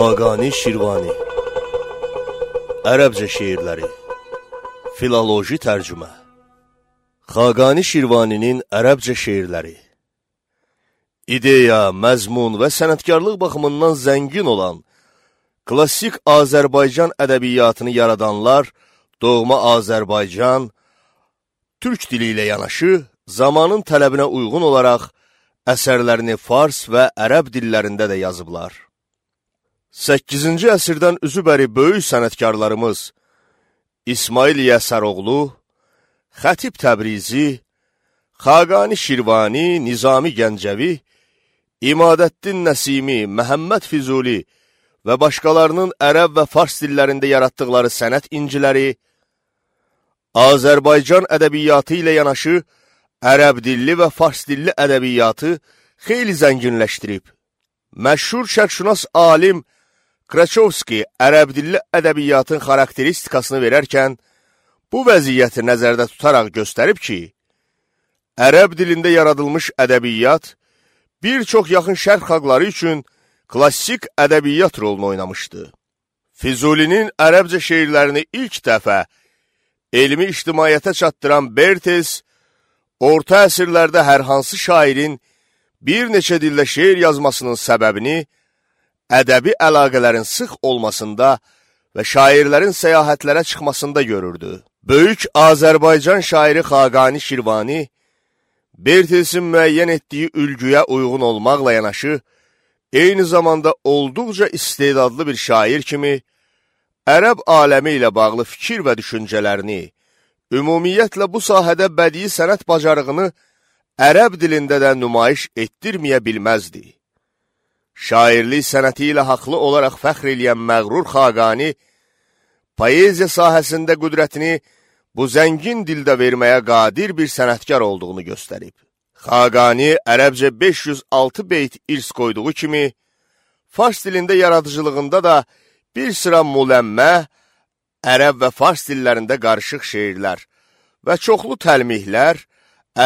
Xaqani Şirvani Ərəbcə şeirləri Filoloji tərcümə Xaqani Şirvaninin ərəbcə şeirləri İdeya, məzmun və sənətkarlıq baxımından zəngin olan klassik Azərbaycan ədəbiyyatını yaradanlar doğma Azərbaycan, türk dili ilə yanaşı zamanın tələbinə uyğun olaraq əsərlərini fars və ərəb dillərində də yazıblar. 8-ci əsrdən üzübəri böyük sənətkarlarımız İsmail Yəsəroğlu, Xətib Təbrizi, Xaqani Şirvani, Nizami Gəncəvi, İmadəddin Nəsimi, Məhəmməd Füzuli və başqalarının ərəb və fars dillərində yaratdıqları sənət inciləri, Azərbaycan ədəbiyyatı ilə yanaşı ərəb dilli və fars dilli ədəbiyyatı xeyli zənginləşdirib. Məşhur şərqşünas alim Kraçovski ərəb dilli ədəbiyyatın xarakteristikasını verərkən, bu vəziyyəti nəzərdə tutaraq göstərib ki, ərəb dilində yaradılmış ədəbiyyat bir çox yaxın şərq xalqları üçün klassik ədəbiyyat rolunu oynamışdı. Füzulinin ərəbcə şeirlərini ilk dəfə elmi ictimaiyyətə çatdıran Bertes, orta əsrlərdə hər hansı şairin bir neçə dildə şeir yazmasının səbəbini ədəbi əlaqələrin sıx olmasında və şairlərin səyahətlərə çıxmasında görürdü. Böyük Azərbaycan şairi Xaqani Şirvani, Bertesin müəyyən etdiyi ülgüyə uyğun olmaqla yanaşı, eyni zamanda olduqca istedadlı bir şair kimi, ərəb aləmi ilə bağlı fikir və düşüncələrini, ümumiyyətlə bu sahədə bədii sənət bacarığını ərəb dilində də nümayiş etdirməyə bilməzdi. Şairlik sənəti ilə haqlı olaraq fəxr eləyən məğrur Xaqani, poeziya sahəsində qüdrətini bu zəngin dildə verməyə qadir bir sənətkar olduğunu göstərib. Xaqani ərəbcə 506 beyt irs qoyduğu kimi, fars dilində yaradıcılığında da bir sıra müləmmə, ərəb və fars dillərində qarışıq şeirlər və çoxlu təlmihlər,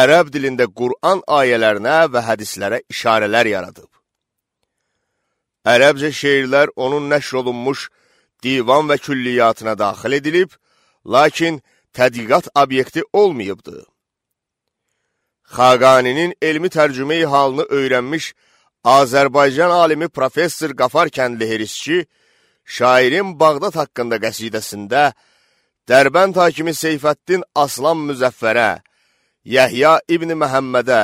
ərəb dilində Qur'an ayələrinə və hədislərə işarələr yaradıb. Ərəbcə şeirlər onun nəşr olunmuş divan və külliyyatına daxil edilib, lakin tədqiqat obyekti olmayıbdır. Xaqaninin elmi tərcümeyi halını öyrənmiş Azərbaycan alimi professor Qafar Kəndli Herisçi, şairin Bağdad haqqında qəsidəsində Dərbənd hakimi Seyfəddin Aslan Müzəffərə, Yəhya İbn Məhəmmədə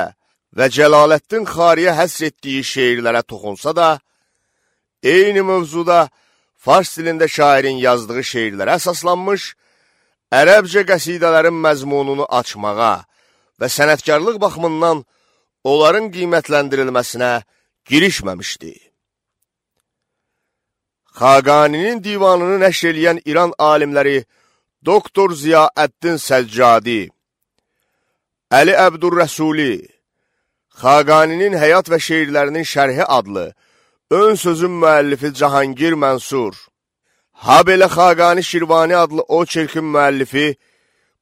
və Cəlaləddin Xariyə həsr etdiyi şeirlərə toxunsa da, eyni mövzuda fars dilində şairin yazdığı şeirlərə əsaslanmış, ərəbcə qəsidələrin məzmununu açmağa və sənətkarlıq baxımından onların qiymətləndirilməsinə girişməmişdi. Xaqaninin divanını nəşr eləyən İran alimləri Doktor Ziyaəddin Səccadi, Əli Əbdurrəsuli, Xaqaninin həyat və şeirlərinin şərhi adlı ön sözün müəllifi Cahangir Mənsur, habelə Xaqani Şirvani adlı o çirkin müəllifi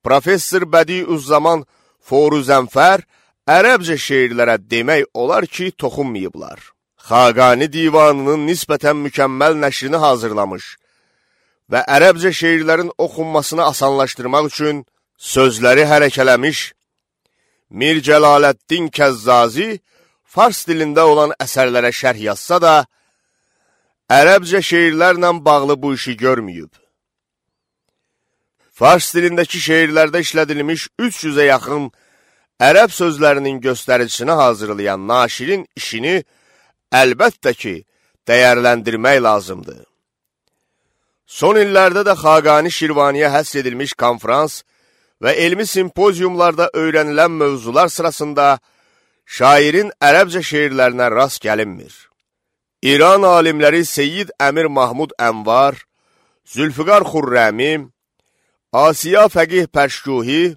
Professor Bədiüzzaman Foruzənfər ərəbcə şeirlərə demək olar ki, toxunmayıblar. Xaqani divanının nisbətən mükəmməl nəşrini hazırlamış və ərəbcə şeirlərin oxunmasını asanlaşdırmaq üçün sözləri hərəkələmiş Mir Cəlaləddin Kəzzazi fars dilində olan əsərlərə şərh yazsa da, ərəbcə şeirlərlə bağlı bu işi görməyib. Fars dilindəki şeirlərdə işlədilmiş 300-ə yaxın ərəb sözlərinin göstəricisini hazırlayan naşirin işini əlbəttə ki, dəyərləndirmək lazımdır. Son illərdə də Xaqani Şirvaniyə həsr edilmiş konferans və elmi simpoziumlarda öyrənilən mövzular sırasında şairin ərəbcə şeirlərinə rast gəlinmir. İran alimləri Seyyid Əmir Mahmud Ənvar, Zülfüqar Xurrəmi, Asiya Fəqih Pərşkuhi,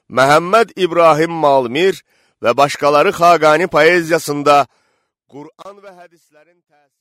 Məhəmməd İbrahim Malmir və başqaları Xaqani poeziyasında Qur'an və hədislərin təsiri